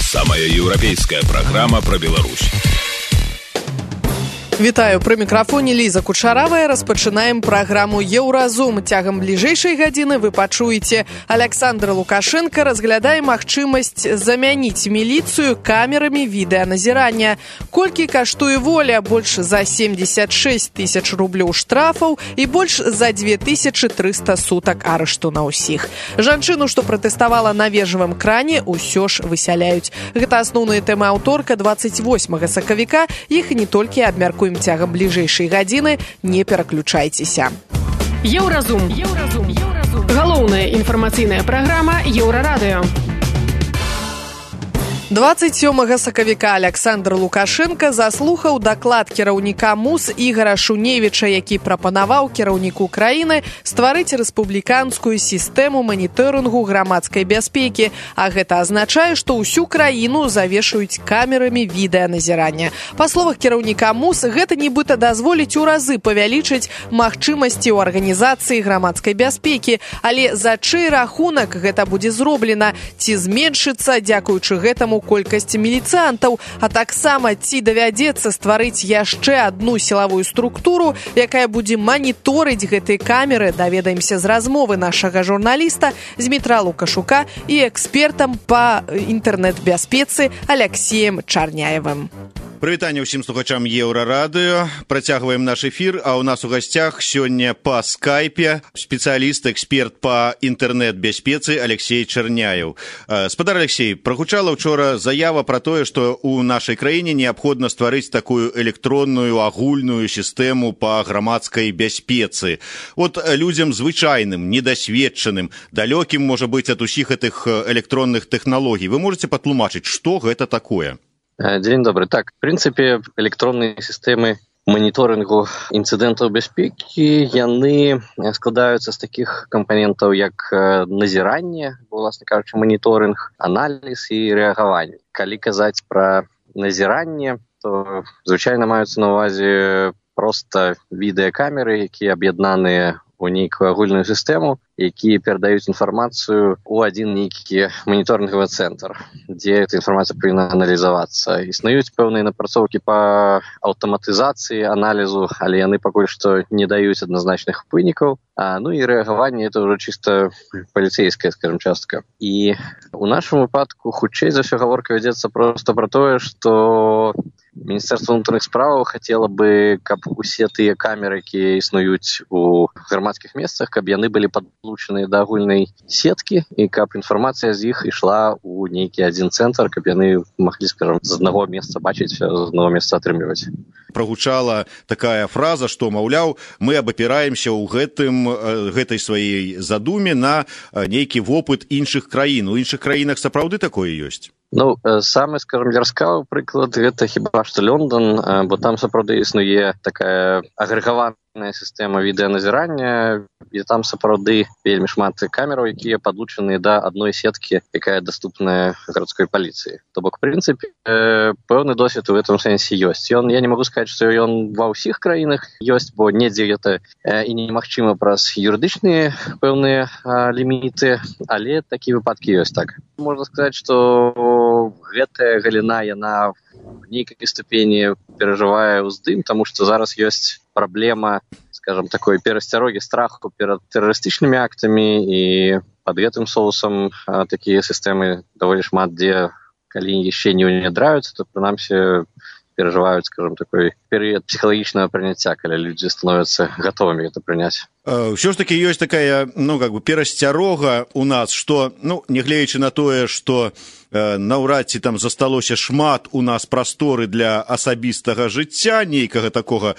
Самая еўрапейская праграма пра Беларусь. Вітаю, пры мікрафоне Ліза Кучаравая. Распачынаем праграму «Еўразум». Цягам бліжэйшай гадзіны вы пачуеце: Александр Лукашенко разглядае магчымасць замяніць міліцыю камерамі відэаназірання. Колькі каштуе воля? Больш за 76 тысяч рублёў штрафаў і больш за 2300 сутак арышту на ўсіх. Жанчыну, што пратэставала на вежавым кране, усё ж высяляюць. Гэта асноўныя тэмы аўторка 28 сакавіка. Іх не толькі абмяркуем цягам бліжэйшай гадзіны, не пераключайцеся. Еўразум. Галоўная інфармацыйная праграма Еўрарадыё. 27 сакавіка Александр Лукашенко заслухаў даклад кіраўніка МУС Ігора Шуневіча, які прапанаваў кіраўніку краіны стварыць рэспубліканскую сістэму маніторынгу грамадскай бяспекі, а гэта азначае, што ўсю краіну завешаюць камерамі відэаназірання. Па словах кіраўніка МУС, гэта нібыта дазволіць у разы павялічыць магчымасці ў арганізацыі грамадскай бяспекі, але за чый рахунак гэта будзе зроблена? Ці зменшыцца дзякуючы гэтаму колькасць міліцыянтаў, а таксама ці давядзецца стварыць яшчэ адну сілавую структуру, якая будзе маніторыць гэтыя камеры, даведаемся з размовы нашага журналіста Змітра Лукашука і экспертам па інтэрнэт-бяспецы Алексеем Чарняевым. Прывітанне ўсім слухачам Еўрарадыё. Працягваем наш эфір, а ў нас у гасцях сёння па скайпе спецыяліст, эксперт па інтэрнэт-бяспецы Алексей Чарняев. Спадар Алексей, прагучала учора заява пра тое, што ў нашай краіне неабходна стварыць такую электронную агульную сістэму па грамадскай бяспецы. От людзям звычайным, недасведчаным, далёкім, можа быць, ад усіх гэтых электронных тэхналогій. Вы можаце патлумачыць, што гэта такое? Дзень добры. Так, в прынцыпе, электронныя сістэмы маніторынгу інцыдэнтаў бяспекі, яны складаюцца з такіх кампанентаў, як назіранне, уласна кажучы, маніторынг, аналіз і рэагаванне. Калі казаць пра назіранне, то звычайна маюцца на ўвазе проста відэакамеры, якія аб'яднаныя у нейкую агульную сістэму, якія перадаюць інфармацыю ў адзін нейкі маніторынгавы цэнтр, дзе эта інфармацыя павінна аналізавацца. Існуюць пэўныя напрацоўкі па аўтаматызацыі аналізу, але яны пакуль што не даюць адназначных вынікаў. Ну і рэагаванне — это ўжо чыста паліцэйская, скажем, частка. І ў нашым выпадку хутчэй за ўсё гаворка вядзецца проста пра тое, што Міністэрства ўнутраных справаў хацела бы, каб усе тыя камеры, якія існуюць у грамадскіх месцах, каб яны былі падлучаныя да агульнай сеткі і каб інфармацыя з іх ішла ў нейкі адзін цэнтр, каб яны маглі, скажам, з аднаго месца бачыць, з аднаго месца атрымліваць. Прагучала такая фраза, што, маўляў, мы абапіраемся ў гэтай сваёй задуме на нейкі вопыт іншых краін. У іншых краінах сапраўды такое ёсць? Ну, самы, скажем, ярскавы прыклад — гэта хіба што Лондон, бо там сапраўды існуе такая агрэгаваная сістэма відэаназірання, і там сапраўды вельмі шмат камераў, якія падлучаныя да адной сеткі, якая даступная гарадской паліцыі. То бок, в прынцыпе, пэўны досвед у гэтым сэнсе ёсць. Я не магу сказаць, што ён ва ўсіх краінах ёсць, бо недзе гэта і немагчыма праз юрыдычныя пэўныя ліміты, але такія выпадкі ёсць, так. Можна сказаць, што гэтая галіна, яна в нейкай ступені перажывае ўздым, таму што зараз ёсць праблема, скажем, такой перасцярогі, страху перад тэрарыстычнымі актамі, і пад гэтым соусам такія сістэмы даволі шмат дзе, калі яшчэ не ўнядраюцца, то прынамсі перажываюць, скажем, такой перыяд псіхалагічнага прыняцця, калі людзі становяцца гатовымі гэта прыняць. Ўсё ж такі ёсць такая, перасцярога у нас, што, нягледзячы на тое, што наўрад ці там засталося шмат у нас прасторы для асабістага жыцця, нейкага такога,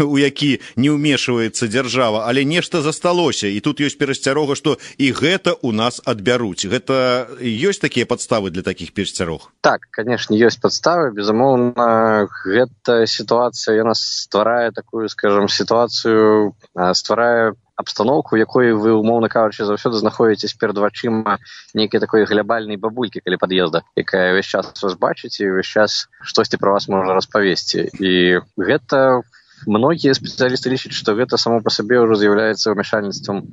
у які не ўмешваецца дзяржава, але нешта засталося, і тут ёсць перасцярога, што і гэта у нас адбяруць. Гэта ёсць такія падставы для такіх перасцярог? Так, канешне, ёсць падставы. Безумоўна, гэта сітуацыя, яна стварае такую, скажем, сітуацыю, стварае абстаноўку, якой вы, умоўна кажучы, заўсёды знаходзіцесь перад вачыма нейкай такой глябальнай бабулькі каля пад'езда, якая ўвесь час вас бачыць і ўвесь час штосьці пра вас можа распавесці. І гэта многія спецыялісты лічаць, што гэта само па сабе ўжо з'яўляецца ўмяшальніцтвам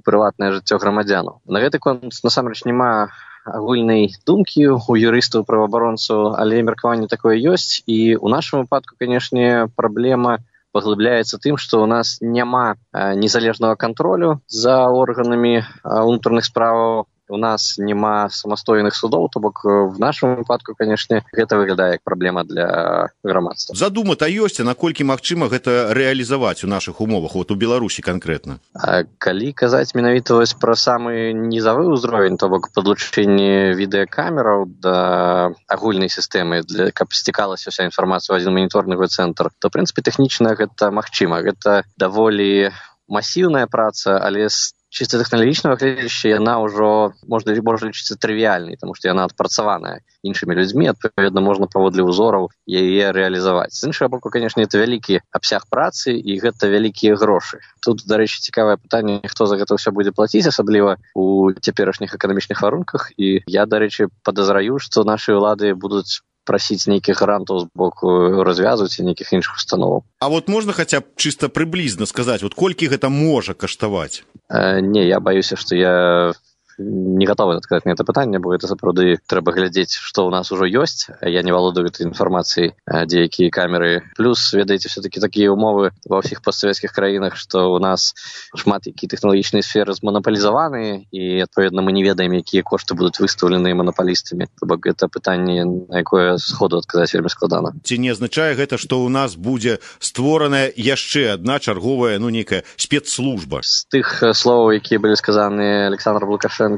прыватнае жыццё грамадзянаў. На гэты конт насамрэч няма агульнай думкі у юрыстаў, праваабаронцаў, але меркаванне такое ёсць. І ў нашым выпадку, канешне, праблема паглыбляецца тым, што ў нас няма незалежнага кантролю за органамі унутраных справаў. У нас няма самастойных судоў, то бок в нашым выпадку, канешне, гэта выглядае як праблема для грамадства. Задума-то ёсць, а наколькі магчыма гэта рэалізаваць у нашых умовах, у Беларусі канкрэтна? Калі казаць менавіта пра самы нізавы ўзровень, то бок падлучэнне відэакамераў да агульнай сістэмы, каб сцікалася ўся інфармацыя ў адзін маніторнговы цэнтр, то, в прынцыпе, тэхнічна гэта магчыма. Гэта даволі масіўная праца, але чисто тэхналагічнага гледзяча яна ўжо можна лічыцца трывіяльнай, таму што яна адпрацаваная іншымі людзьмі, адпаведна можна паводле ўзораў яе рэалізаваць. З іншага боку, канешне, это вялікі абсяг працы і гэта вялікія грошы. Тут, дарэчы, цікавае пытанне, хто за гэта ўсё будзе плаціць, асабліва у цяперашніх эканамічных варунках. І я, дарэчы, падазраю, што нашы ўлады будуць прасіць нейкіх грантаў з боку развязу ці нейкіх іншых установаў. А вот можна хаця б чыста прыблізна сказаць, вот колькі гэта можа каштаваць? Не, я баюся, што я не гатовы адказаць на гэта пытанне, бо гэта сапраўды трэба глядзець, што ў нас ужо ёсць. Я не валодаю гэтай інфармацыяй, дзе якія камеры. Плюс, ведаеце, все-таки такія умовы ва ўсіх постсавецкіх краінах, што ў нас шмат якія тэхналагічныя сферы зманапалізаваны, і, адпаведна, мы не ведаем, якія кошты будуць выстаўлены манапалістамі. То бок гэта пытанне, на якое сходу адказаць вельмі складана. Ці не азначае гэта, што ў нас будзе створаная яшчэ адна чарговая, нейкая спецслужба? З тых словаў, якія былі сказаны Александром Лукашенком,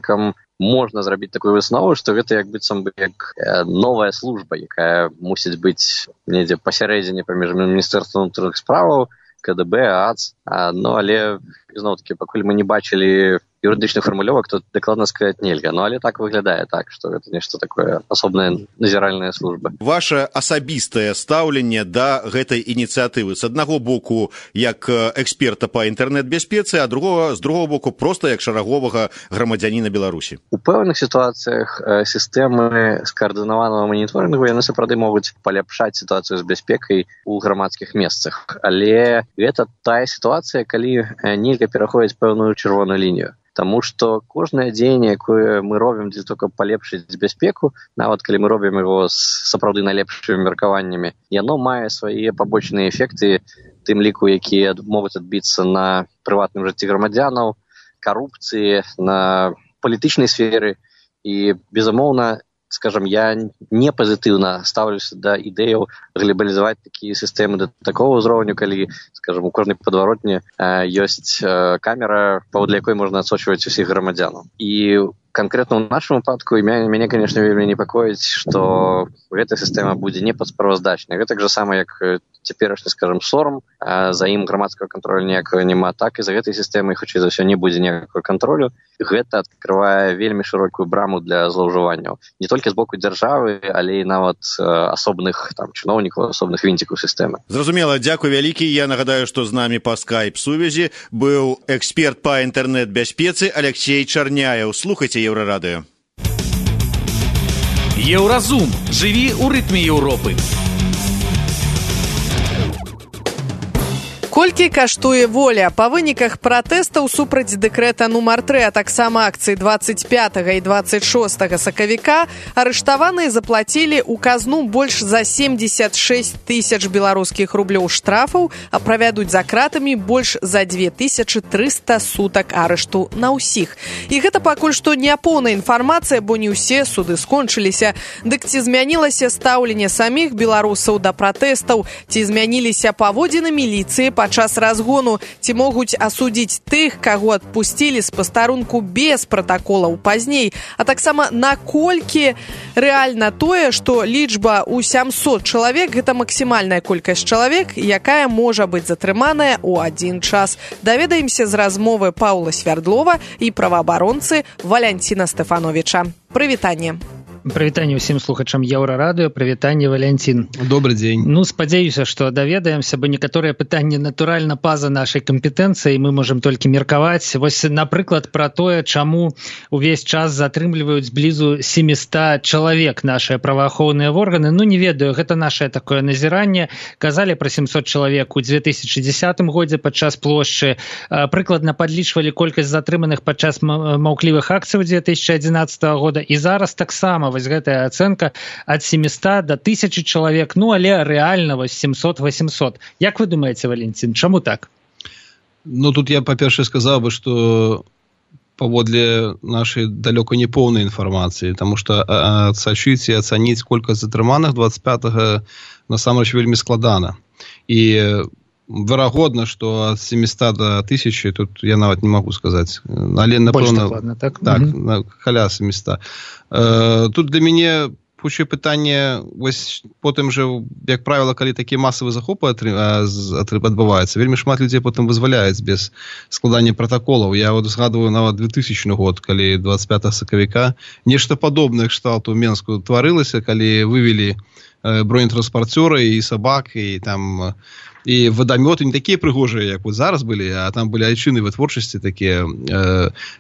можна зрабіць такую выснову, што гэта як быццам бы як новая служба, якая мусіць быць недзе пасярэдзіне паміж Міністэрствам унутраных справаў, КДБ, АЦ. Але, зноў-такі, пакуль мы не бачылі юрыдычных фармулёвак, то дакладна сказаць нельга. Але так выглядае так, што гэта нешта такое асобная назіральная служба. Ваша асабістае стаўленне да гэтай ініцыятывы, з аднаго боку, як эксперта па інтэрнэт-бяспецы, а з другого боку, проста як шараговага грамадзяніна Беларусі. У пэўных сітуацыях сістэмы скаардынаванага маніторынгу яны сапраўды могуць паляпшаць сітуацыю з бяспекай у грамадскіх месцах. Але гэта тая сітуацыя, калі нельга пераходзіць пэўную чырвоную лінію. Таму што кожнае дзеянне, якое мы робім для того, каб палепшыць бяспеку, нават калі мы робім яго з сапраўды найлепшымі меркаваннямі, яно мае свае пабочныя эфекты, тым ліку, якія могуць адбіцца на прыватным жыцці грамадзянаў, карупцыі, на палітычнай сферы. І, безумоўна, скажем, я не пазітыўна ставлюся да ідэяў глобалізаваць такія сістэмы да такого ўзроўню, калі, скажем, у кожнай падваротні ёсць камера, паводле якой можна адсочваць усіх грамадзянаў. І канкрэтна ў нашым выпадку мяне, конечно, вельмі непакоіць, што гэта сістэма будзе непадсправаздачнай. Гэта так же самае, як цяперашні, скажем, сорам, за ім грамадскага кантролю ніякага няма, так і за гэтай сістэмай, хутчэй за ўсё, не будзе ніякага кантролю. Гэта адкрывае вельмі шырокую браму для злоўжыванняў. Не толькі з боку дзяржавы, але і нават асобных чыноўнікаў, асобных вінцікаў сістэмы. Зразумела, дзякуй вялікі. Я нагадаю, што з намі па скайп-сувязі быў эксперт па інтэрнэт-бяспецы Алексей Чарняеў. Слухайце Еўрарадыё. Еўразум. Жыві ў рытме Еўропы. Колькі каштуе воля? Па выніках пратэстаў супраць дэкрэта нумар 3, а таксама акцыі 25 і 26 сакавіка, арыштаваныя заплацілі ў казну больш за 76 тысяч беларускіх рублёў штрафаў, а правядуць за кратамі больш за 2300 сутак арышту на ўсіх. І гэта пакуль што не поўная інфармацыя, бо не ўсе суды скончыліся. Дык ці змянілася стаўленне саміх беларусаў да пратэстаў, ці змяніліся паводзіны міліцыі падчас разгону, ці могуць асудзіць тых, каго адпусцілі з пастарунку без пратаколаў пазней, а таксама наколькі рэальна тое, што лічба ў 700 чалавек – гэта максімальная колькасць чалавек, якая можа быць затрыманая ў адзін час. Даведаемся з размовы Паўла Свярдлова і праваабаронцы Валянціна Стэфановіча. Прывітанне. Прывітанне ўсім слухачам Еўрарадыё, прывітанне, Валянцін. Добрый дзень. Ну, спадзяюся, што даведаемся, бо некаторыя пытанні натуральна па-за нашай кампетэнцыі, мы можам толькі меркаваць. Вось, напрыклад, пра тое, чаму увесь час затрымліваюць блізу 700 чалавек нашыя праваахоўныя органы. Ну, не ведаю, гэта нашае такое назіранне. Казалі пра 700 чалавек у 2010 годзе падчас плошчы. Прыкладна падлічвалі колькасць затрыманых падчас маўклівых акцый 2011 года. І зараз таксама вось гэтая ацэнка ад 700 до 1000 чалавек, ну, але рэальна вось 700-800. Як вы думаеце, Валентин, чаму так? Ну, тут я, па-першае, сказаў бы, што паводле нашай далёка не поўнай інфармацыі, таму што адсачыць і ацаніць колькасць затрыманых 25-го насамрэч вельмі складана. І верагодна, што ад 700 до 1000, тут я нават не магу сказаць. Але, напэўна, так, каля 700. Тут для мяне хутчэй пытанне, вось потым жа, як правіла, калі такія масавыя захопы адбываюцца, вельмі шмат людзей потым вызваляюць без складання пратаколаў. Я вот згадваю нават 2000 год, калі 25 сакавіка нешта падобнае кшталту ў Менску тварылася, калі вывелі бронетранспарцёры і сабак, і там і вадамёты не такія прыгожыя, як вот зараз былі, а там былі айчыны вытворчасці такія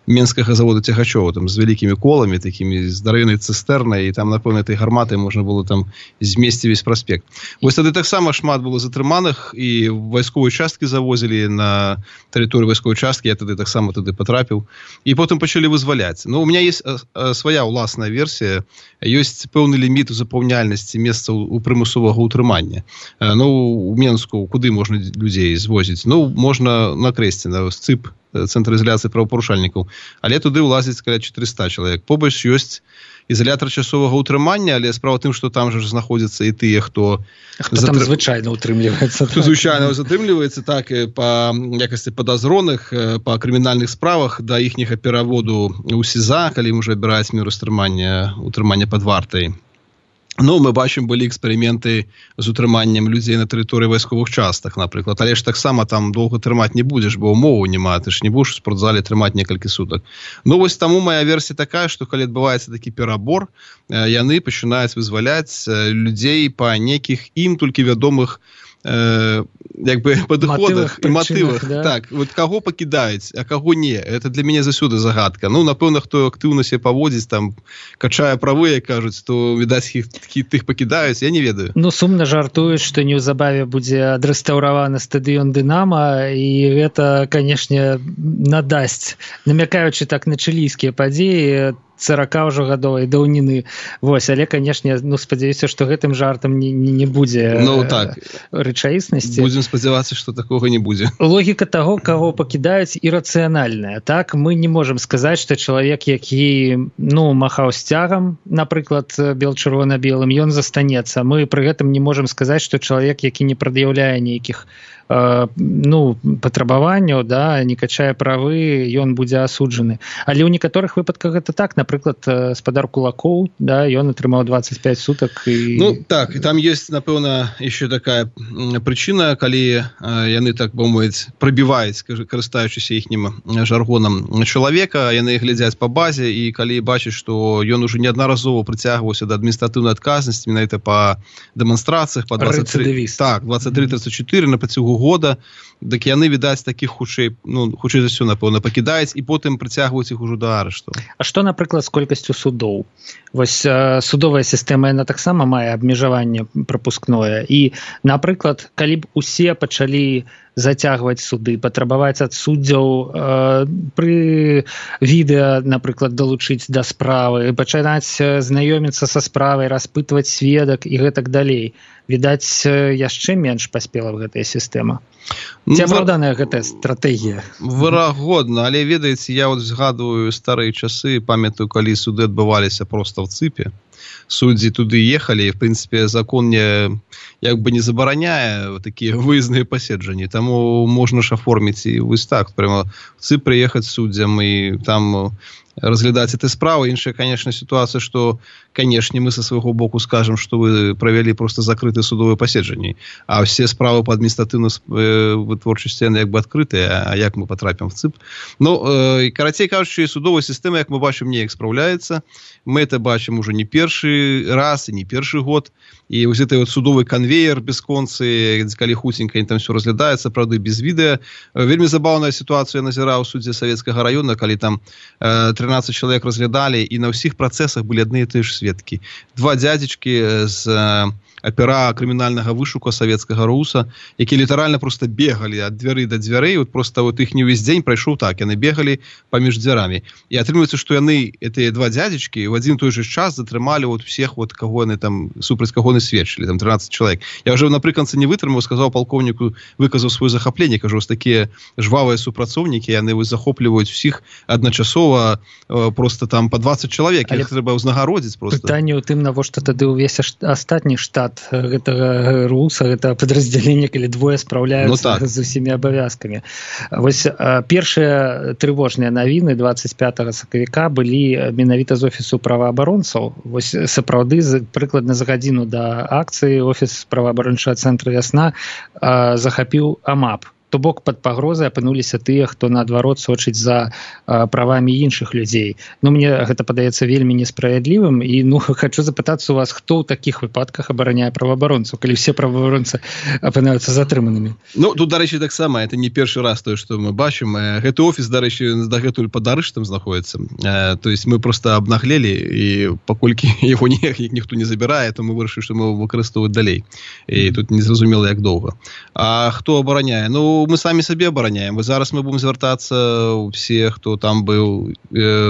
менскага завода цягачоў, там з вялікімі коламі, такімі здаравенай цыстэрнай, і там, напэўна, этой гарматай можна было там змесці весь праспект. Вось тады таксама шмат было затрыманых, і вайсковыя часткі завозілі на тэрыторыю вайсковай часткі, я тады таксама туды патрапіў, і потым пачалі вызваляць. Ну, у меня есть свая ўласная версія, ёсць пэўны ліміт у запаўняльнасці месцаў у прымусовага ўтрымання. Ну, у Менску куды можна людзей звозіць? Ну, можна на Крэсце, на СЦИП, Цэнтр ізаляцыі правапарушальнікаў, але туды ўлазіць каля 400 чалавек. Побач ёсць ізалятар часовага ўтрымання, але справа тым, што там жа знаходзяцца і тыя, хто там звычайна ўтрымліваецца. Хто звычайна затрымліваецца, так, па якасці падазроных, па крымінальных справах да іхняга пераводу ў СІЗА, калі ім ужо абіраюць меру ўтрымання пад вартай. Ну, мы бачым, былі эксперыменты з утрыманнем людзей на тэрыторыі вайсковых частак, напрыклад. Але ж таксама там доўга трымаць не будзеш, бо ўмоваў няма, ты ж не будзеш у спортзале трымаць некалькі сутак. Ну, вось таму моя версія такая, што калі адбываецца такі перабор, яны пачынаюць вызваляць людзей па нейкіх ім толькі вядомых як бы падыходах і матывах. Да? Так, вот каго пакідаюць, а каго не. Это для мяне заўсёды загадка. Ну, напэўна, хто актыўна себе паводзіць, там, качае правы, як кажуць, то, відаць, тых пакідаюць, я не ведаю. Ну, сумна жартуюць, што неўзабаве будзе адрэстаўраваны стадыён «Дынама», і гэта, канешне, надасць, намякаючы так на чылійскія падзеі, 40 ўжо гадовай даўніны. Вось, але, канешне, ну, спадзяюся, што гэтым жартам не будзе рэчаіснасці. Будзем спадзявацца, што такога не будзе. Логіка таго, каго пакідаюць, ірацыянальная. Так, мы не можам сказаць, што чалавек, які, ну, махаў сцягам, напрыклад, бел-чырвона-белым, ён застанецца. Мы пры гэтым не можам сказаць, што чалавек, які не прад'яўляе нейкіх ну, патрабаванняў, да, не качае правы, ён будзе асуджаны. Але ў некаторых выпадках гэта так. Напрыклад, спадар Кулакоў, да, ён атрымаў 25 сутак. І... Ну, так, і там ёсць, напэўна, яшчэ такая прычына, калі яны, так бы мовіць, прабіваюць, карыстаючыся іхнім жаргонам чалавека, яны глядзяць па базе, і калі бачаць, што ён ужо неаднаразова прыцягваўся да адміністратыўнай адказнасці, менавіта па дэманстрацыях, па 23, так, 23-34 на працягу года, дык яны, відаць, такіх хутчэй, ну, хутчэй за ўсё, напэўна, пакідаюць і потым прыцягваюць іх ужо да арышту. А што, напрыклад, з колькасцю судоў? Вось судовая сістэма, яна таксама мае абмежаванне прапускное. І, напрыклад, калі б усе пачалі зацягваць суды, патрабаваць ад суддзяў пры відэа, напрыклад, далучыць да справы, пачынаць знаёміцца са справай, распытваць сведак і гэтак далей. Відаць, яшчэ менш паспела б гэтая сістэма. Ці апраўданая гэтая стратэгія? Верагодна, але, ведаеце, я вот згадваю старыя часы, памятаю, калі суды адбываліся проста в ЦИПе. Суддзі туды ехалі, і, в прынцыпе, закон як бы не забараняе такія выездныя паседжанні. Таму можна ж аформіць і вось так, прямо в ЦИП прыехаць суддзям і там разглядаць этой справы. Іншая, конечно, ситуация, что, конечно, мы со свайго боку скажем, что вы провели просто закрытые судовые паседжанні, а все справы по адміністратыўнай вытворчасці як бы адкрытыя, а як мы потрапім в ЦИП. Ну, карацей кажучы, судовая сістэма, як мы бачым, неяк спраўляецца. Мы это бачым уже не першы першы раз і не першы год, і вось гэты вот судовы канвеер бясконцы, калі хутенька там все разглядаецца, правда, без відэа. Вельмі забаўная сітуацыя назіраў у судзе Савецкага раёна, калі там 13 чалавек разглядалі, і на ўсіх працэсах былі адны і тыя ж сведкі. Два дзядзечкі з апера крымінальнага вышука Савецкага РУСа, які літаральна просто бегалі ад дзвяры да дзвярэй, вот просто вот іх не ўвесь дзень прайшоў так, яны бегалі паміж дзвярамі. І атрымліваецца, што яны, гэтыя два дзядзечкі, в адзін той же час затрымалі вот всех, вот, каго яны там, супраць каго яны сведчылі, там 13 чалавек. Я ўжо напрыканцы не вытрымаў, сказаў палкоўніку, выказаў сваё захапленне, кажу, такія жвавыя супрацоўнікі, яны заходліваюць усіх адначасова, просто там по 20 чалавек, іх трэба ўзнагародзіць просто. Пытанне ў тым, навошта тады ўвесь астатні штат гэтага РУСа, гэта падраздзяленне, калі двое спраўляюцца з усімі абавязкамі. Вось першыя трывожныя навіны 25 сакавіка былі менавіта з офісу праваабаронцаў. Вось сапраўды прыкладна за гадзіну да акцыі офіс праваабарончага цэнтра «Вясна» захапіў АМАП. То бок пад пагрозай апынуліся тыя, хто наадварот сочыць за правамі іншых людзей. Ну, мне гэта падаецца вельмі несправядлівым, і хочу запытацца у вас, хто ў такіх выпадках абараняе праваабаронцаў, калі все праваабаронцы апынаюцца затрыманымі? Ну, тут, дарэчы, таксама, это не першы раз тое, што мы бачым. Гэты офіс, дарэчы, дагэтуль пад арыштам знаходіцца. То есть мы просто абнаглелі, і паколькі яго ніхто не забірае, то мы вырашылі, што мы выкарыстоўваць далей. І тут незразумела, як доўга. А хто абараняе? Ну, мы самі сабе абараняем. Зараз мы будем звяртацца ўсе, хто там быў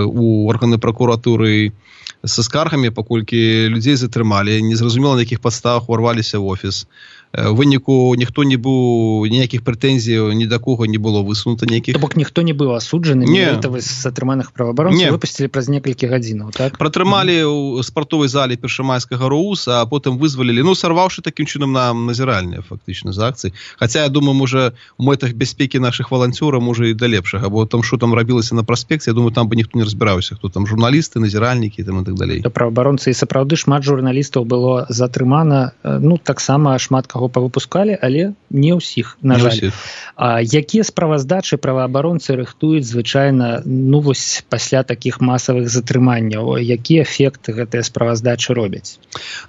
у органы прокуратуры са скаргамі, паколькі людзей затрымалі, незразумела, на якіх падставах уварваліся ў офіс. У выніку ніхто не быў, ніякіх прэтэнзій ні да кого не было высунута ніякіх. То бок ніхто не быў асуджаны, менавіта з затрыманых праваабаронцаў выпусцілі праз некалькі гадзінаў, так? Пратрымалі ў спартовай зале першамайскага РУСа, а потым вызвалілі, ну, сарваўшы такім чынам на назіральныя, фактычна, з акцыі. Хаця, я думаю, можа, у мэтах бяспекі нашых валанцёраў, можа, і да лепшага, бо там, што там рабілася на праспекце, я думаю, там бы ніхто не разбіраўся, хто там журналісты, назіральнікі, там і так далей. Праваабаронцы, і сапраўды шмат журналістаў было затрымана, ну, таксама шмат каго павыпускалі, але не ўсіх, на жаль. Якія справаздачы праваабаронцы рыхтуюць звычайна, ну, вось пасля такіх масавых затрыманняў? Які эфект гэтыя справаздачы робяць?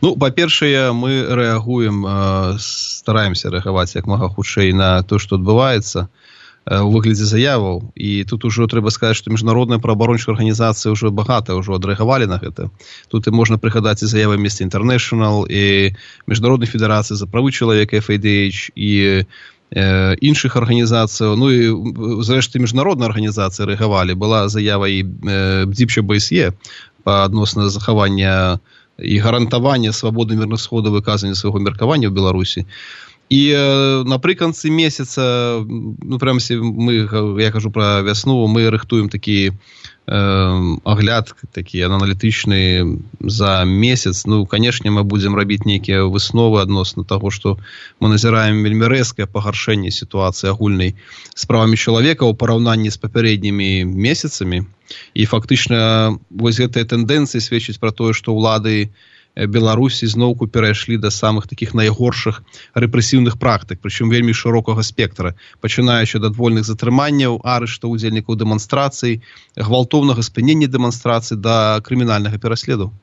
Ну, па-першае, мы рэагуем, стараемся рэагаваць як мага хутчэй на то, што адбываецца у выглядзе заяваў, і тут ужо трэба сказаць, што міжнародныя праваабарончыя арганізацыі ўжо багата ўжо адрэагавалі на гэта. Тут і можна прыгадаць і заявы Amnesty International, і Міжнароднай федэрацыі за правы чалавека FADH, і іншых арганізацыяў, ну і зрэшты міжнародныя арганізацыі рэагавалі. Была заява і БДИПЧ БСЕ па адносна захавання і гарантавання свабоды мірных сходаў выказання свайго меркавання ў Беларусі. І напрыканцы месяца, ну, прямсі, я кажу пра вясну, мы рыхтуем такі агляд, такі аналітычны за месяц. Ну, канешне, мы будзем рабіць нейкія высновы адносна таго, што мы назіраем вельмі рэзкае пагаршэнне сітуацыі агульнай з правамі чалавека ў параўнанні з папярэднімі месяцамі. І фактычна вось гэтыя тэндэнцыі сведчаць пра тое, што ўлады Беларусі зноўку перайшлі да самых такіх найгоршых рэпрэсіўных практык, прычым вельмі шырокага спектра, пачынаючы ад адвольных затрыманняў, арыштаў удзельнікаў дэманстрацый, гвалтоўнага спынення дэманстрацый да крымінальнага пераследу.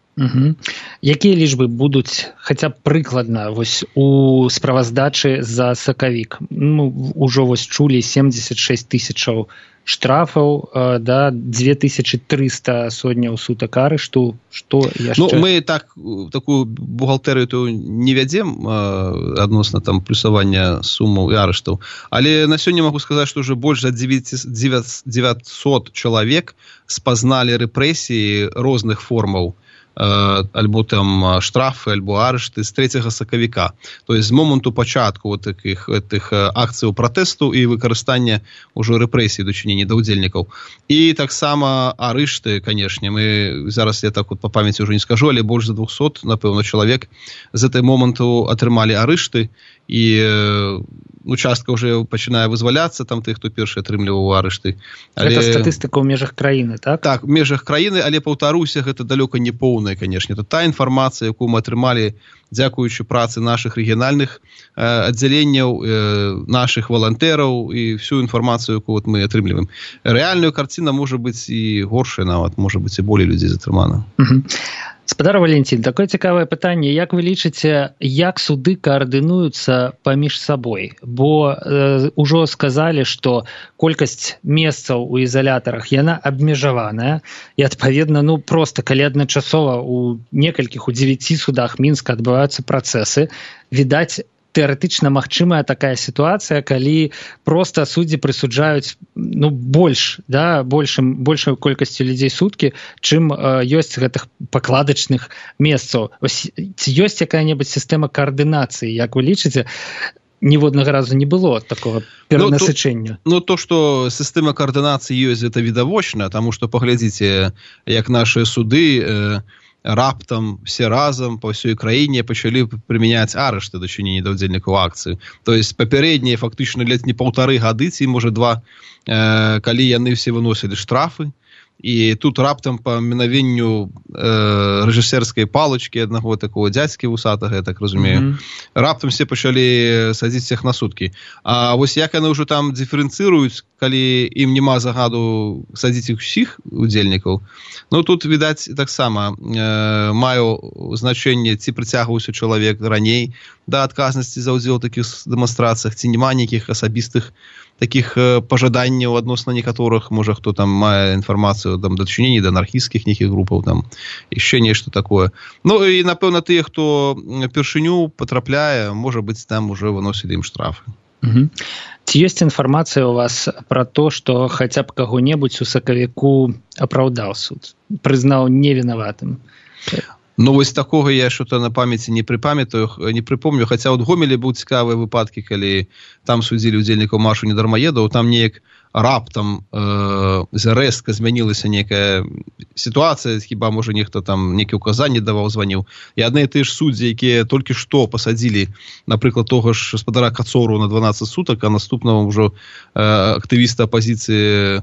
Якія лічбы будуць хаця б прыкладна вось у справаздачы за сакавік? Ну, ужо вось чулі 76 тысячаў штрафаў, да, 2300 сотняў сутак арышту. Што яшчэ? Ну, мы такую бухгалтэрыю не вядзем адносна там плюсавання сумаў і арыштаў, але на сёння магу сказаць, што ўжо больш за 900 чалавек спазналі рэпрэсіі розных формаў, альбо там штрафы, альбо арышты з 3 сакавіка. То есть з моманту пачатку вот таких акцыяў пратэсту і выкарыстання ўжо рэпрэсій дачынення да ўдзельнікаў. І таксама арышты, канешне, мы зараз, я так вот по памяці ўжо не скажу, але больш за 200, напэўна, чалавек з гэтай моманту атрымалі арышты, і ну, частка ўжо пачынае вызваляцца, там тых, хто першы атрымліваў арышты. Гэта статыстыка ў межах краіны, так? Так, у межах краіны, але, паўтаруся, гэта далёка не поўная, канешне. Это та інфармацыя, якую мы атрымалі дзякуючы працы нашых рэгіянальных аддзяленняў, нашых валантэраў і всю інфармацыю, якую мы атрымліваем. Рэальная карціна можа быць і горшая нават, можа быць і болей людзей затрымана. Спадар Валентин, такое цікавае пытанне, як вы лічыце, як суды каардынуюцца паміж сабой? Бо ўжо сказалі, што колькасць месцаў у ізалятарах яна абмежаваная, і адпаведна, проста калі адначасова у некалькіх, у 9 судах Мінска адбываюцца працэсы, відаць, тэарэтычна магчымая такая сітуацыя, калі проста суддзі прысуджаюць большую колькасцю людзей суткі, чым ёсць гэтых пакладачных месцаў. Ці ёсць якая-небудзь сістэма каардынацыі, як вы лічыце? Ніводнага разу не было такого перанасычэння. То, што сістэма каардынацыі ёсць, гэта відавочна, таму што паглядзіце, як нашыя суды раптам все разам па ўсёй краіне пачалі прымяняць арышты дачынення да ўдзельнікаў акцыі. То есть папярэднія фактычна лет не 1,5 гады, ці можа 2, калі яны все выносілі штрафы, і тут раптам па мінавенню рэжысерскай палачкі аднаго такого дзядзькі вусатага, я так разумею, раптам все пачалі садзіць всех на суткі. А вось як яны ўжо там дыферэнцыруюць, калі ім няма загаду садзіць іх усіх удзельнікаў, тут, відаць, таксама маю значэнне, ці прыцягваўся чалавек раней да адказнасці за ўдзел у такіх дэманстрацыях, ці няма нейкіх асабістых таких пожаданняў адносна некаторых, можа, хто там мае інфармацыю там дачынення да анархісцкіх нейкіх групаў, там яшчэ нешта такое. І, напэўна, тыя, хто першыню патрапляе, можа быць, там уже выносілі ім штрафы. Ці ёсць інфармацыя ў вас пра то, што хаця б каго-небудзь у сакавіку апраўдаў суд, прызнаў невінаватым? Вось такога я що-то на памяці не припомню, хаця от Гомелі быў цікавыя выпадкі, калі там судзілі удзельнікаў маршу недармаедаў, там неяк раптам рэзка змянілася нейкая сітуацыя, хіба можа нехта там нейкі указанні даваў, званіў, і адны і тыя ж суддзі, якія толькі што пасадзілі, напрыклад, того ж гаспадара Кацору на 12 сутак, а наступного ўжо актывіста апазіцыі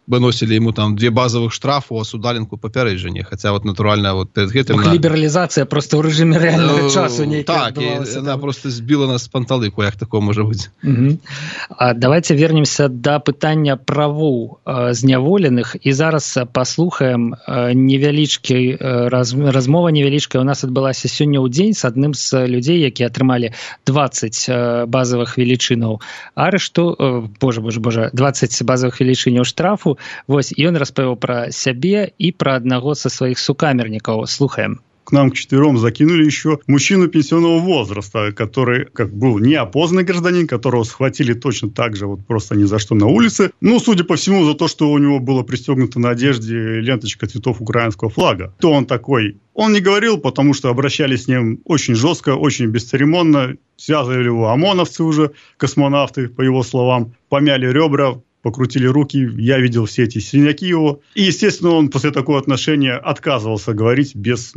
выносілі ему там 2 базовых штрафу, а судаленку папярэджання, хаця натуральна перед гэтым... Лібералізацыя просто ў рэжыме рэальнага часу нейкі адбывалася. Так, яна просто збіла нас з панталыку, як такое можа быць. Давайте вернемся да пытання правоў зняволеных, і зараз паслухаем размова невялічкая. У нас адбылася сёння ў дзень з адным з людзей, якія атрымалі 20 базовых велічынаў арышту, 20 базовых велічыняў штрафу. Вось, і ён распавёў пра сябе і пра аднаго са сваіх сукамернікаў. Слухаем. К нам к 4 закинули еще мужчину пенсионного возраста, который как был неопознанный гражданин, которого схватили точно так же, вот просто ни за что на улице. Судя по всему, за то, что у него было пристегнуто на одежде ленточка цветов украинского флага. Кто он такой? Он не говорил, потому что обращались с ним очень жестко, очень бесцеремонно. Связывали его ОМОНовцы уже, космонавты, по его словам. Помяли ребра, покрутили руки, я видел все эти синяки его. И, естественно, он после такого отношения отказывался говорить без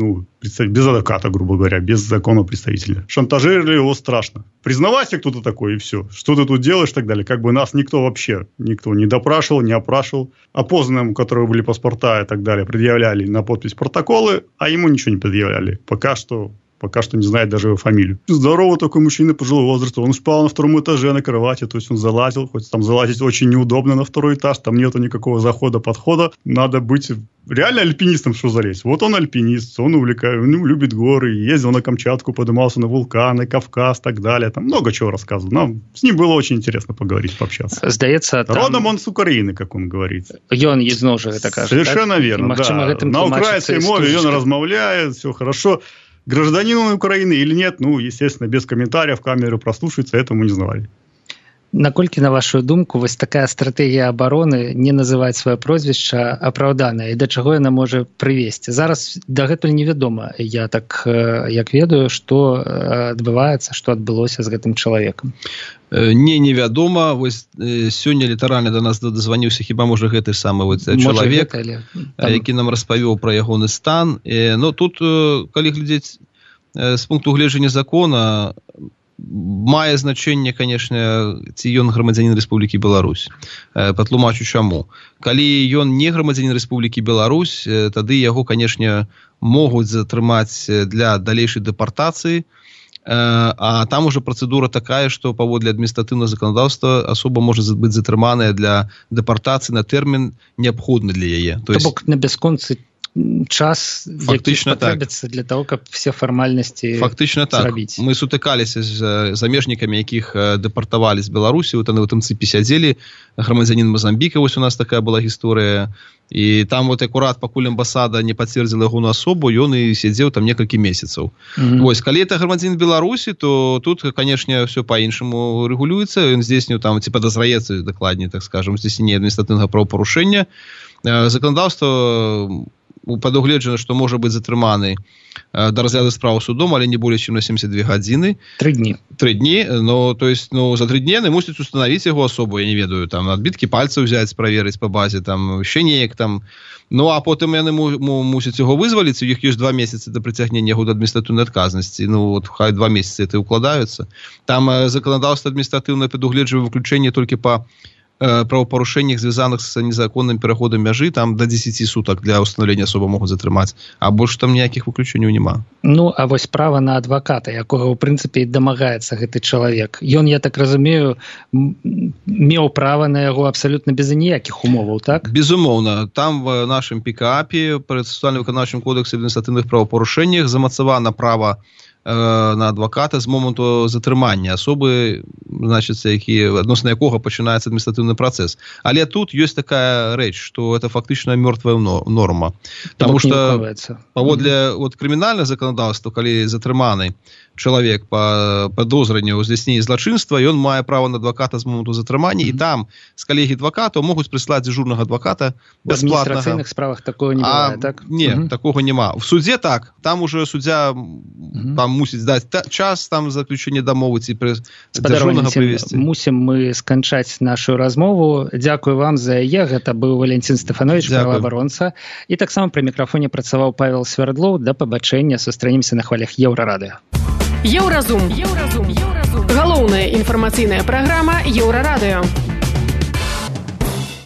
адвоката, грубо говоря, без законного представителя. Шантажировали его страшно. Признавайся, кто ты такой, и все. Что ты тут делаешь, и так далее. Как бы нас никто не допрашивал, не опрашивал. Опознанным, у которых были паспорта и так далее, предъявляли на подпись протоколы, а ему ничего не предъявляли. Пока что не знает даже его фамилию. Здоровый такой мужчина пожилого возраста. Он спал на 2 этаже на кровати, то есть он залазил, хоть там залазить очень неудобно на 2 этаж, там нету никакого захода-подхода. Надо быть реально альпинистом, что залезть. Вот он альпинист, он любит горы, ездил на Камчатку, поднимался на вулканы, Кавказ и так далее. Там много чего рассказывал. Нам с ним было очень интересно поговорить, пообщаться. Здаецца, там... Родом он с Украины, как он говорит. Ён ізноў жа гэта кажа. Совершенно так? Верно, да. На украинской мове он размовляет, все хорошо. Гражданин он Украины или нет, естественно, без комментариев, камеры прослушаются, этому не знали. Наколькі, на вашу думку, вось такая стратэгія абароны не называць сваё прозвішча апраўданая, і да чаго яна можа прывесці? Зараз дагэтуль невядома, я так як ведаю, што адбываецца, што адбылося з гэтым чалавекам. Невядома. Вось сёння літаральна да нас дазваніўся хіба можа гэты самы чалавек, які нам распавёў пра ягоны стан. Тут, калі глядзець з пункту гледжання закона, мае значэнне, конечно, ці ён грамадзянін Рэспублікі Беларусь. Патлумачу чаму. Калі ён не грамадзянін Рэспублікі Беларусь, тады яго, конечно, могуць затрымаць для далейшай дэпартацыі, а там уже процедура такая, што паводле адміністратыўнага заканадаўства асоба можа быць затрыманая для дэпартацыі на тэрмін неабходны для яе. То бок на бясконцы час, які спатрэбіцца для того, каб все фармальнасці фактычна так. Зрабіць. Мы сутыкаліся з замежнікамі, якіх дэпартавалі з Беларусі, вот яны ў тым цыпе сядзелі, грамадзянін Мазамбіка, вось у нас такая была гісторыя, і там вот акурат, пакуль амбасада не пацвердзіла ягоную асобу, ён і сядзеў там некалькі месяцаў. Вось, калі это грамадзянін Беларусі, то тут, конечно, все по-іншаму рэгулюецца, ён здзейсніў там, ці падазраецца, дакладней, так скажем, здзейсненне адміністратыўнага правапарушэння. Заканадаўства прадугледжана, што можа быць затрыманы до разгляду справы судом, але не более чем на 72 гадзіны. 3 дні. 3 дні, но, то есть, за 3 дні яны мусяць установіць яго асобу, я не ведаю, там, адбіткі пальцаў взяць, праверыць па базе, там, ще неяк, там, ну, а потым яны мусяць яго вызваліць, у іх ёсць 2 месяцы да прыцягнення яго да адміністратыўнай адказнасці, ну, вот, хай 2 месяцы это укладаюцца. Там заканадаўства адміністратыўнае прадугледжвае выключэнне толькі па правопарушэннях, звязаных з незаконным пераходам мяжы, там до 10 сутак для установлення асобы могуць затрымаць, а больш там ніякіх выключэнняў няма. Ну, а вось права на адваката, якога ў прынцыпе дамагаецца гэты чалавек. Ён, я так разумею, меў права на яго абсалютна без ніякіх умоваў, так? Безумоўна. Там в нашым ПКАПе, працэсуальным выканаўчым кодексе адміністратыўных правапарушэннях, замацавана права на адваката з моманту затрымання асобы, значыць, адносна якога пачынаецца адміністратыўны працэс. Але тут ёсць такая рэч, што это фактычна мёртвая норма. Таму што паводле крымінальнага заканадаўства, калі затрыманы чалавек па падозранню ў здзяйсненні злачынства, ён мае права на адваката з моманту затрымання, і там з калегі адвакатаў могуць прыслаць дзяжурнага адваката бясплатнага. В адміністрацыйных справах такого не бывае, так? Не, такого няма. В судзе так, там уже суддзя там мусіць даць час там заключэння дамовы ці дзяжурнага прывесці. Мусім мы сканчаць нашу размову. Дзякую вам за яе. Гэта быў Валентин Стефанович, праваабаронца. І таксама пры мікрафоне працаваў Павел Свердлоў. Да пабачэння. Сустранемся на хвалях Еўрарадыё. Еўразум. Галоўная інфармацыйная праграма Еўрарадыё.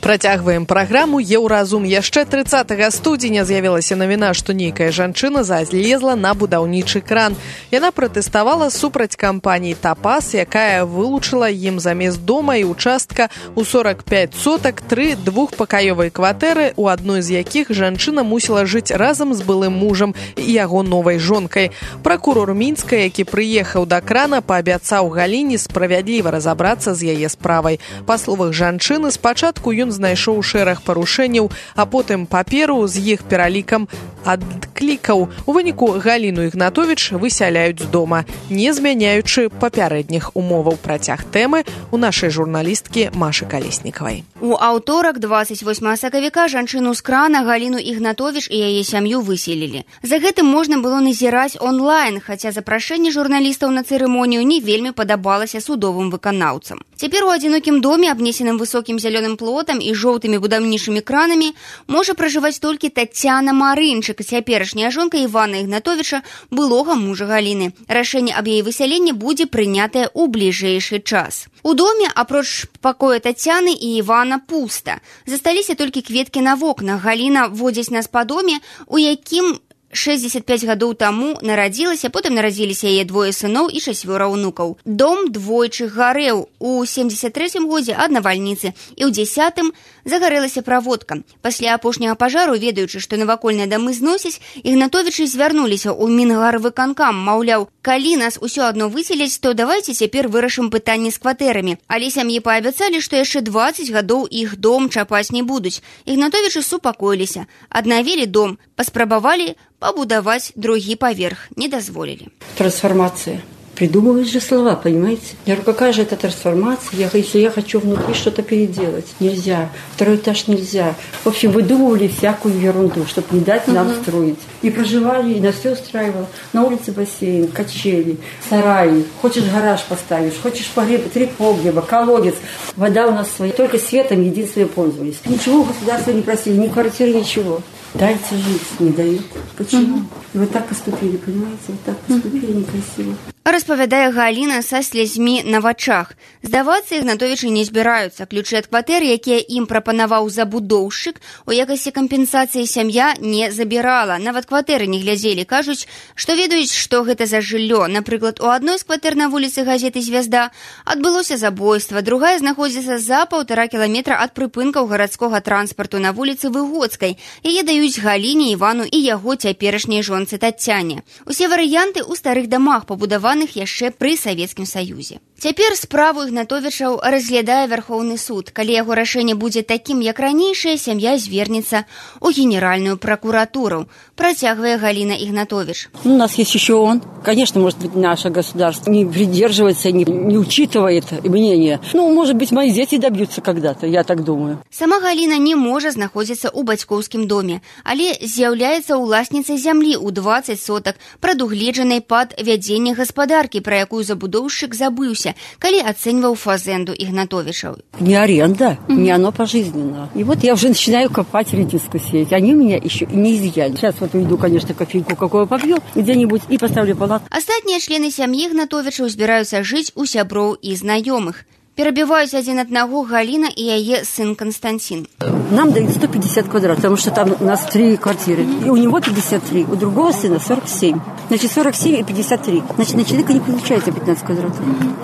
Працягваем праграму «Еўразум». Яшчэ 30 студзеня з'явілася навіна, што нейкая жанчына залезла на будаўнічы кран. Яна пратэставала супраць кампаніі «Тапас», якая вылучыла ім замест дома і участка ў 45 сотак 3 двухпакаёвыя кватэры, у адной з якіх жанчына мусіла жыць разам з былым мужам і яго новай жонкай. Пракурор Мінска, які прыехаў да крана, паабяцаў Галіне справядліва разабрацца з яе справай. Па словах жанчыны, спачатку ён знайшоў шэраг парушэнняў, а потым паперу з іх пералікам адклікаў. У выніку Галіну Ігнатовіч высяляюць з дома, не змяняючы папярэдніх умоваў. Працяг тэмы у нашай журналісткі Машы Калеснікавай. У аўторак, 28 сакавіка, жанчыну з крана Галіну Ігнатовіч і яе сям'ю выселілі. За гэтым можна было назіраць онлайн, хаця запрашэнне журналістаў на цырымонію не вельмі падабалася судовым выканаўцам. Цяпер у адзінокім доме, абнесеным высокім зялёным плотам і жоўтымі будаўнічымі кранамі, можа пражываць толькі Таццяна Марынчык, цяперашняя жонка Івана Ігнатовіча, былога мужа Галіны. Рашэнне аб яе высяленні будзе прынятае ў бліжэйшы час. У доме, апроч пакоя Таццяны і Івана, пуста. Засталіся толькі кветкі на вокнах. Галіна водзіць нас па доме, у якім 65 гадоў таму нарадзілася, потым нарадзіліся яе 2 сыноў і 4 ўнукаў. Дом двойчы гарэў. У 73-м годзе ад навальніцы і ў 10-м загарэлася праводка. Пасля апошняга пажару, ведаючы, што навакольныя дамы зносяць, Ігнатовічы звярнуліся ў Мінгарвыканкам, маўляў, калі нас усё адно выселяць, то давайце цяпер вырашым пытанне з кватэрамі. Але сям'і паабяцалі, што яшчэ 20 гадоў іх дом чапаць не будуць. Ігнатовічы супакоіліся, аднавілі дом, паспрабавалі побудовать другий поверх. Не дозволили. Трансформация. Придумывают же слова, понимаете? Я говорю, какая же это трансформация? Я говорю, если я хочу внутри что-то переделать. Нельзя. 2-й этаж нельзя. В общем, выдумывали всякую ерунду, чтобы не дать нам строить. И проживали, и нас все устраивало. На улице бассейн, качели, сараи. Хочешь гараж поставишь, хочешь погреб, 3 погреба, колодец. Вода у нас своя. Только светом единственным пользовались. Ничего у государства не просили, ни квартиры, ничего. Дайте жить, не дают. Почему? И вот так поступили, понимаете? Вот так поступили некрасиво. Распавядае Галіна са слязьмі на вачах. Здавацца Ігнатовічы не збіраюцца. Ключы ад кватэр, якія ім прапанаваў забудоўшчык, у якасці кампенсацыі сям'я не забірала. Нават кватэры не глядзелі. Кажуць, што ведаюць, што гэта за жыллё. Напрыклад, у адной з кватэр на вуліцы газеты «Звязда» адбылося забойства. Другая знаходзіцца за 1,5 кіламетра ад прыпынкаў гарадскога транспарту на вуліцы Выгодскай. Яе даюць Галіне, Івану і яго цяперашняй жонцы Тацяне. Усе варыянты ў старых дамах, пабудаваных яшчэ пры Савецкім Саюзе. Цяпер справу Ігнатовічаў разглядае Вярхоўны суд. Калі яго рашэнне будзе такім, як ранейшае, сям'я звернецца ў Генеральную прокуратуру. Працягвае Галина Игнатович. У нас есть еще он. Конечно, может быть, наше государство не придерживается, не учитывает мнение. Ну, может быть, мои дети добьются когда-то, я так думаю. Сама Галина не можа знаходзіцца ў бацькоўскім доме, але з'яўляецца ўласніцай зямлі ў 20 сотак, прадугледжанай пад вядзенне гаспадаркі, пра якую забудоўшчык забыўся, калі ацэньваў фазенду Игнатовичаў. Не аренда, не оно пожизненно. И вот я уже начинаю копать, редиску сеять. Они меня еще не изъяли. Сейчас вот уйду, конечно, кофейку какую попью где-нибудь и поставлю палатку. Астатнія члены сям'і Игнатовичаў збіраюцца жыць у сяброў і знаёмых. Перебиваюсь один одного Галина и яе сын Константин. Нам дают 150 квадратов, потому что там у нас 3 квартиры. И у него 53, у другого сына 47. Значит, 47 и 53. Значит, на человека не получается 15 квадратов.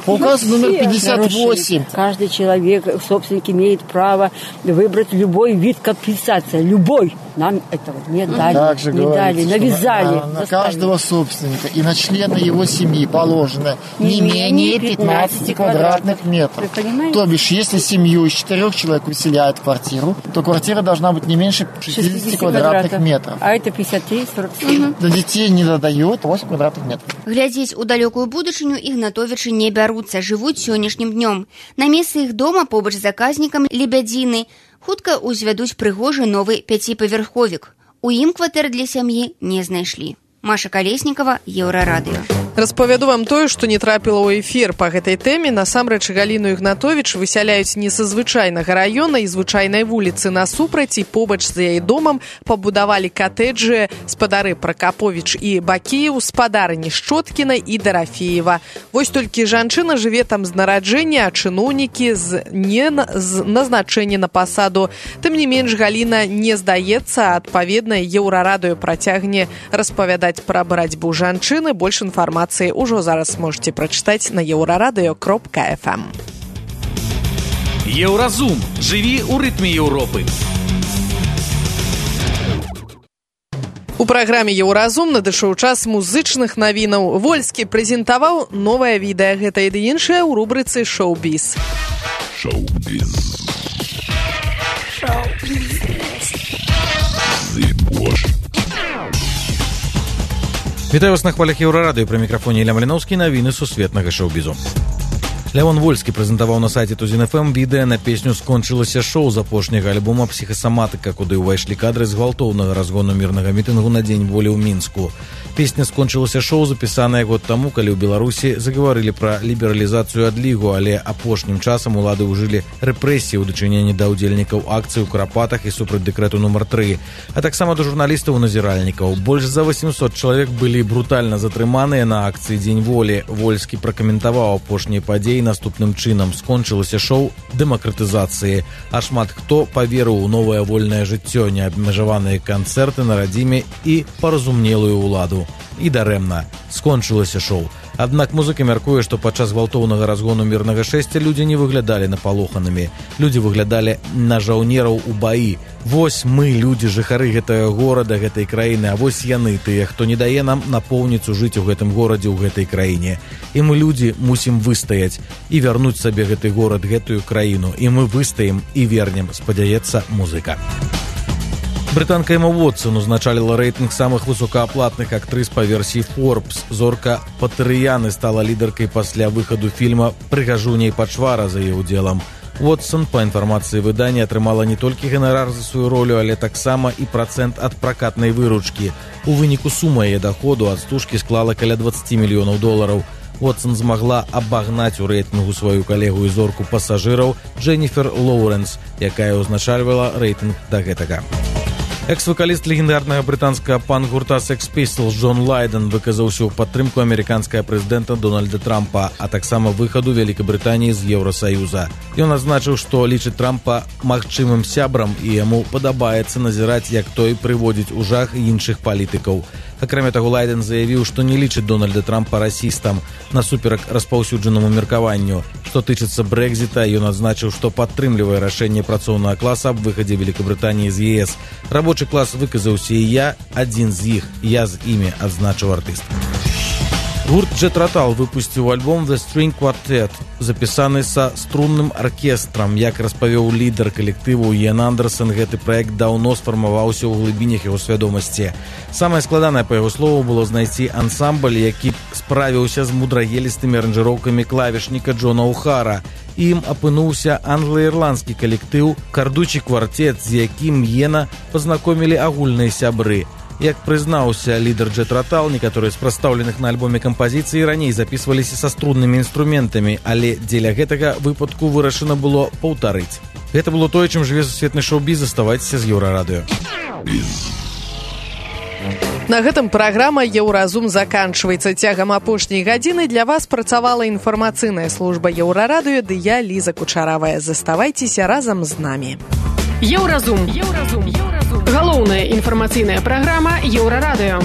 По указу номер 58. Каждый человек, собственник, имеет право выбрать любой вид компенсации. Любой. Нам этого не дали. Не дали, навязали. На каждого собственника и на члена его семьи положено не менее 15 квадратных метров. То бишь, если семью из 4 человек выселяют в квартиру, то квартира должна быть не меньше 60 квадратных метров. А это 53, 47. Для детей не додают 8 квадратных метров. Глядзець у далёкую будучыню Ігнатовічы не бяруцца, жывуць сённяшнім днём. На месцы іх дома побач з заказнікам Лебядзіны хутка ўзвядуць прыгожы новы 5павярховік. У ім кватэр для сям'і не знайшлі. Маша Колесникова, Еўрарадыё. Распавяду вам тое, што не трапіла ў эфір па гэтай тэме. Насамрэч Галіну Ігнатовіч высяляюць не са звычайнага раёна і звычайнай вуліцы. Насупраць і побач з яе домам пабудавалі катэджы спадары Пракаповіч і Бакееў, спадарыні Шчоткіна і Дарафеева. Вось толькі жанчына жыве там з нараджэння, а чыноўнікі не з назначэння на пасаду. Тым не менш, Галіна не здаецца, адпаведна, Еўрарадыё працягне распавядаць пра барацьбу жанчыны. Больш інфармацыі ўжо зараз можете прачытаць на euraradыё.fm. Еўразум. Жыві ў рытме Еўропы. У праграме «Еўразум» надышоў час музычных навінаў. Вольскі прэзентаваў новае відэа. Гэта і іншае ў рубрыцы «Шоу-біз». Шоу-біз. Шоу-біз. Вітаю вас на хвалях Еўрарадыё, пры мікрафоне Ілля Маліноўскі, навіны сусветнага шоу-бізу. Лявон Вольскі прэзентаваў на сайце Тузін.ФМ відэа на песню «Скончылася шоу» з апошняга альбома «Псіхасаматыка», куды ўвайшлі кадры з гвалтоўнага разгону мірнага мітынгу на Дзень волі ў Мінску. Песня «Скончылася шоу» запісаная год таму, калі ў Беларусі загаварылі пра лібералізацыю адлігу, але апошнім часам улады ўжылі рэпрэсіі ў дачыненні да ўдзельнікаў акцый у Карапатах і супраць дэкрэту нумар 3, а таксама да журналістаў і назіральнікаў. Больш за 800 чалавек былі брутальна затрыманыя на акцыі Дзень волі. Вольскі пракаментаваў апошнія падзеі наступным чынам: скончылася шоу дэмакратызацыі, а шмат хто паверыў у новае вольнае жыццё, неабмежаваныя канцэрты на радзіме і паразумнелую ўладу. І дарэмна, скончылася шоу. Аднак музыка мяркуе, што падчас гвалтоўнага разгону мірнага шэсця людзі не выглядалі напалоханымі. Людзі выглядалі на жаўнераў у баі. Вось мы, людзі, жыхары гэтага горада, гэтай краіны, а вось яны, тыя, хто не дае нам напоўніцу жыць у гэтым горадзе, у гэтай краіне. І мы, людзі, мусім выстаяць і вярнуць сабе гэты горад, гэтую краіну. І мы выстаем і вернем, спадзяецца музыка. Брытанка Эма Уотсон узначаліла рэйтынг самых высокааплатных актрыс па версіі Forbes. Зорка Патэрыяны стала лідаркай пасля выхаду фільма «Прыгажуня і пачвара» за яе ўдзелам. Уотсон, па інфармацыі выдання, атрымала не толькі ганарар за сваю ролю, але таксама і працэнт ад пракатнай выручкі. У выніку сума яе даходу ад стужкі склала каля $20 мільёнаў. Уотсон змагла абагнаць у рэйтынгу сваю калегу і зорку пасажыраў Дженніфер Лоуренс, якая ўзначальвала рэйтынг да гэтага. Экс-вакаліст легендарнага брытанскага панк-гурта Sex Pistols Джон Лайден выказаўся ў падтрымку амерыканскага прэзідэнта Дональда Трампа, а таксама выхаду Вялікабрытаніі з Еўрасаюза. Ён адзначыў, што лічыць Трампа магчымым сябрам і яму падабаецца назіраць, як той прыводзіць у жах іншых палітыкаў. Акрамя таго, Лайден заявіў, што не лічыць Дональда Трампа расістам, насуперак распаўсюджанаму меркаванню. Што тычыцца Брэкзіта, ён адзначыў, што падтрымлівае рашэнне працоўнага класа аб выхадзе Великабрытаніі з ЕС. Рабочы клас выказаўся і я, адзін з іх, я з імі, адзначыў артыст. Гурт Jet Rotal выпусціў альбом The String Quartet, запісаны са струнным аркестрам. Як распавёў лідар калектыву Іэн Андерсон, гэты праект даўно сфармаваўся ў глыбінях яго свядомасці. Самае складанае, па яго слову, было знайсці ансамбль, які справіўся з мудрагелістымі аранжыроўкамі клавішніка Джона Ухара. Ім апынуўся англо-ірландскі калектыў «Кардучі квартэт», з якім Іэна пазнакомілі агульныя сябры. Як прызнаўся лідар Jet Rotal, некаторыя з прадстаўленых на альбоме кампазіцыі раней запісваліся са струннымі інструментамі, але дзеля гэтага выпадку вырашана было паўтарыць. Гэта было тое, чым жыве сусветны шоу-біз. Заставайцеся з Еўрарадыё. На гэтым праграма «Еўразум» заканчваецца. Цягам апошняй гадзіны для вас працавала інфармацыйная служба Еўрарадыё, ды я, Ліза Кучаравая. Заставайцеся разам з намі. Еўразум. Галоўная інфармацыйная праграма Еўрарадыё.